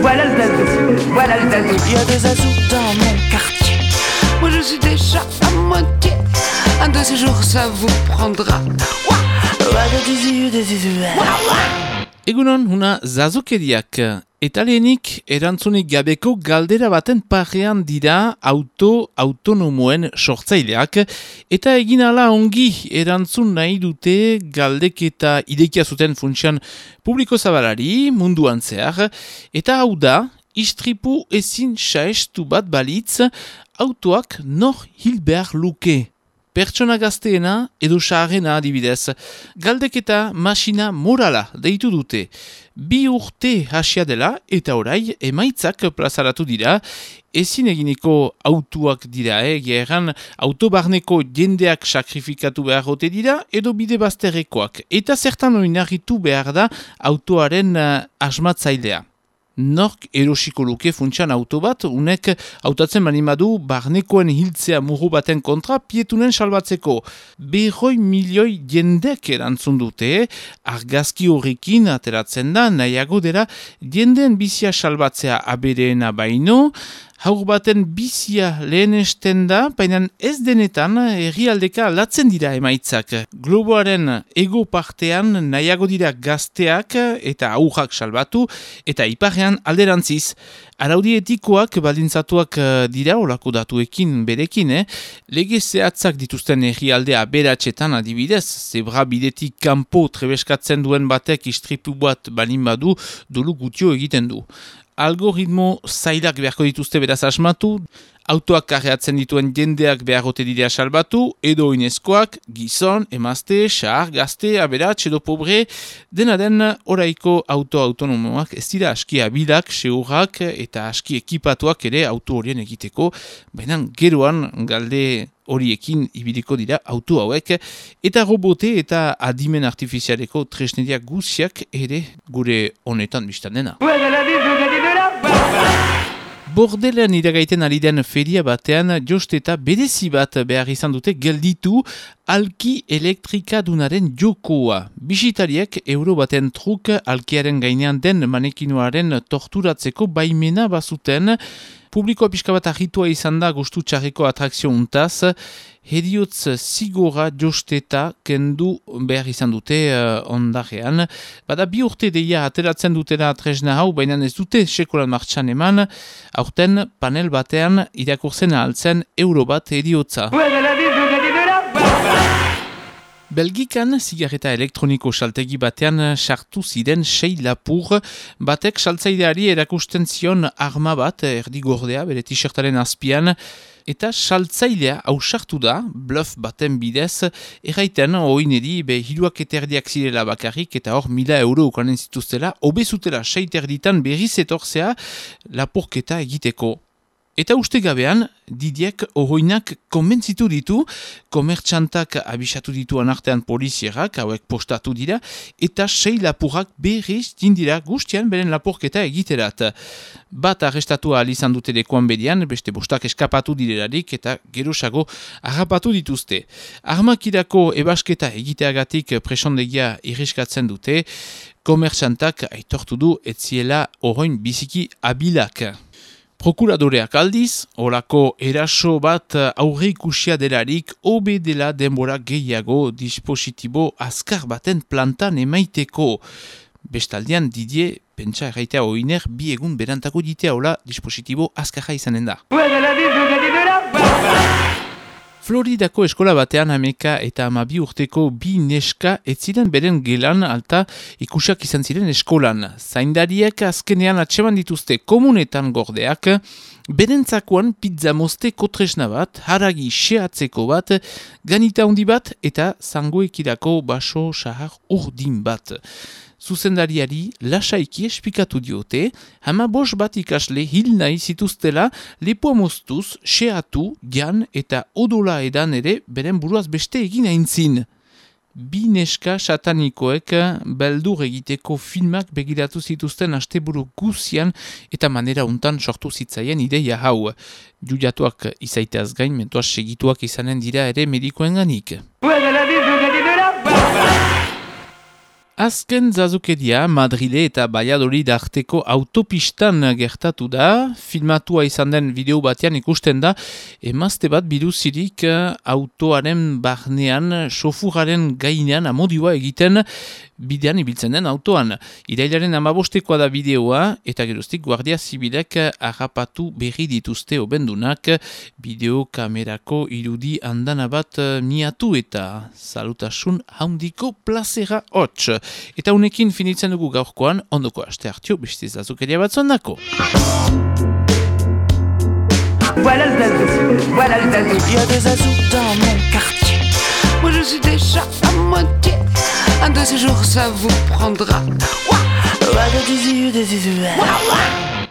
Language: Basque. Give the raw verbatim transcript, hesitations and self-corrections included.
Voilà le zazou, voilà le zazou. Il y a des zazous dans mon quartier. Moi je suis déjà à moitié. Un de ces jours ça vous prendra. Egunon, una zazukeriak. Eta lehenik, erantzunik gabeko galdera baten parean dira auto autonomoen sortzaileak, eta egin ala ongi erantzun nahi dute galdeketa idekia zuten funtsian publiko zabalari munduan zehar, eta hau da, istripu ezin saestu bat balitz, autoak nor hil behar luke. Pertsona gazteena edo saharena adibidez. Galdeketa masina morala deitu dute. Bi urte hasia dela eta orai emaitzak plazaratu dira. Ezin eginiko autuak dira, eh? Geran autobarneko jendeak sakrifikatu behar ote dira edo bide bazterrekoak. Eta zertan oinarritu behar da autoaren uh, asmatzailea. Nork erosiko luke funtsian auto bat, unek hautatzen manimadu barnekoen hiltzea muru baten kontra pietunen salbatzeko. Berroi milioi jendek erantzun dute, argazki horrekin ateratzen da, nahiago dela jendeen bizia salbatzea abereena baino, haur baten bizia lehenesten da, baina ez denetan herrialdeka latzen dira emaitzak. Globoaren ego partean nahiago dira gazteak eta aurrak salbatu, eta iparrean alderantziz. Araudi etikoak baldintzatuak dira olako datuekin berekin, eh? Lege zehatzak dituzten herrialdea beratxetan adibidez, zebra bidetik kanpo trebeskatzen duen batek istripu bat balin badu, dolu gutio egiten du. Algoritmo zailak beharko dituzte beraz asmatu, autoak karreatzen dituen jendeak beharrote dira salbatu, edo inezkoak, gizon, emazte, xahar, gazte, aberats edo pobre, dena den oraiko auto autonomoak ez dira aski abilak, seurrak eta aski ekipatuak ere auto horien egiteko, baina geroan galde horiekin ibiliko dira auto hauek, eta robote eta adimen artifizialeko tresneriak guziak ere gure honetan biztan dena. Bordelean iragaiten ari den feria batean jost eta berezi bat behar izan dute gelditu alki elektrikadunaren jokoa. Bisitariek euro baten truk alkiaren gainean den manekinoaren torturatzeko baimena bazuten. Publikoa pixka bat ahitua izan da gustu txarreko atrakzio untaz, heriotz zigora josteta kendu behar izan dute uh, ondarean. Bada bi urte deia ateratzen dutera tresna hau, baina ez dute sekolan martxan eman, aurten panel batean irakurtzen ahaltzen euro bat heriotza. Belgikan zigarreta elektroniko saltegi batean sartu ziren sei lapur, batek saltzaileari erakusten zion arma bat erdigordea bere t-shirtaren azpian, eta saltzailea ausartu da, bluff baten bidez, erraiten oineri be hiruak eterdiak zirela bakarrik eta hor mila euro ukanen zituztela, obezutela sei terditan berriz etorzea lapurketa egiteko. Eta uste gabean, Didiek ohoinak konbentzitu ditu, komertxantak abisatu dituan artean polizierak, hauek postatu dira, eta sei lapurrak berriz dindira guztian beren lapurketa egiterat. Bat arrestatu ahal izan dute lekuan bedian, beste bostak eskapatu direlarik eta gerosago harrapatu dituzte. Armakirako ebasketa egiteagatik presondegia irriskatzen dute, komertxantak aitortu du etziela ohoin biziki abilak. Prokuradoreak aldiz, olako eraso bat aurre ikusia delarik obe dela denbora gehiago dispositibo azkar baten plantan emaiteko. Bestaldean Didier, pentsa erraitea oiner, bi egun berantako ditea hola dispositibo azkarra izanen da. Floridako eskola batean hameka eta hamabi urteko bi neska ez ziren beren gelan alta ikusiak izan ziren eskolan. Zaindariek azkenean atseman dituzte komunetan gordeak, berentzakoan pizza mozteko tresna bat, haragi xeatzeko bat, ganita handi bat eta zangoekirako baso sahar urdin bat. Zuzendariari lasaiki esplikatu diote, hama bos bat ikasle hil nahi zituztela lepoa moztuz, xeatu, jan eta odola edan ere beren buruaz beste egin aintzin. Bi neska satanikoek beldur egiteko filmak begiratu zituzten asteburu guzian eta manera untan sortu zitzaien ideia hau. Juliatuak izaiteaz gain, mentuaz segituak izanen dira ere medikoen ganik. Azken zazukeria Madrile eta Valladolid arteko autopistan gertatu da. Filmatua izan den bideo batean ikusten da emazte bat biluzirik autoaren barnean, sofuraren gainean amodioa egiten bidean ibiltzen den autoan. Irailaren hamabostekoa da bideoa eta geroztik Guardia Zibilek harrapatu berri dituzte obendunak bideo kamerako irudi andana bat miatu eta salutasun handiko plazera hots. Eta unekin finitzen dugu gaurkoan, ondoko aste hartio beste zazukeria bat zondako. Voilà le zazou, voilà le zazou. Il y a des zazous dans mon quartier. Moi je suis déjà à moitié. Un de ces jours ça vous prendra. Ouah, ouah, ouah, ouah.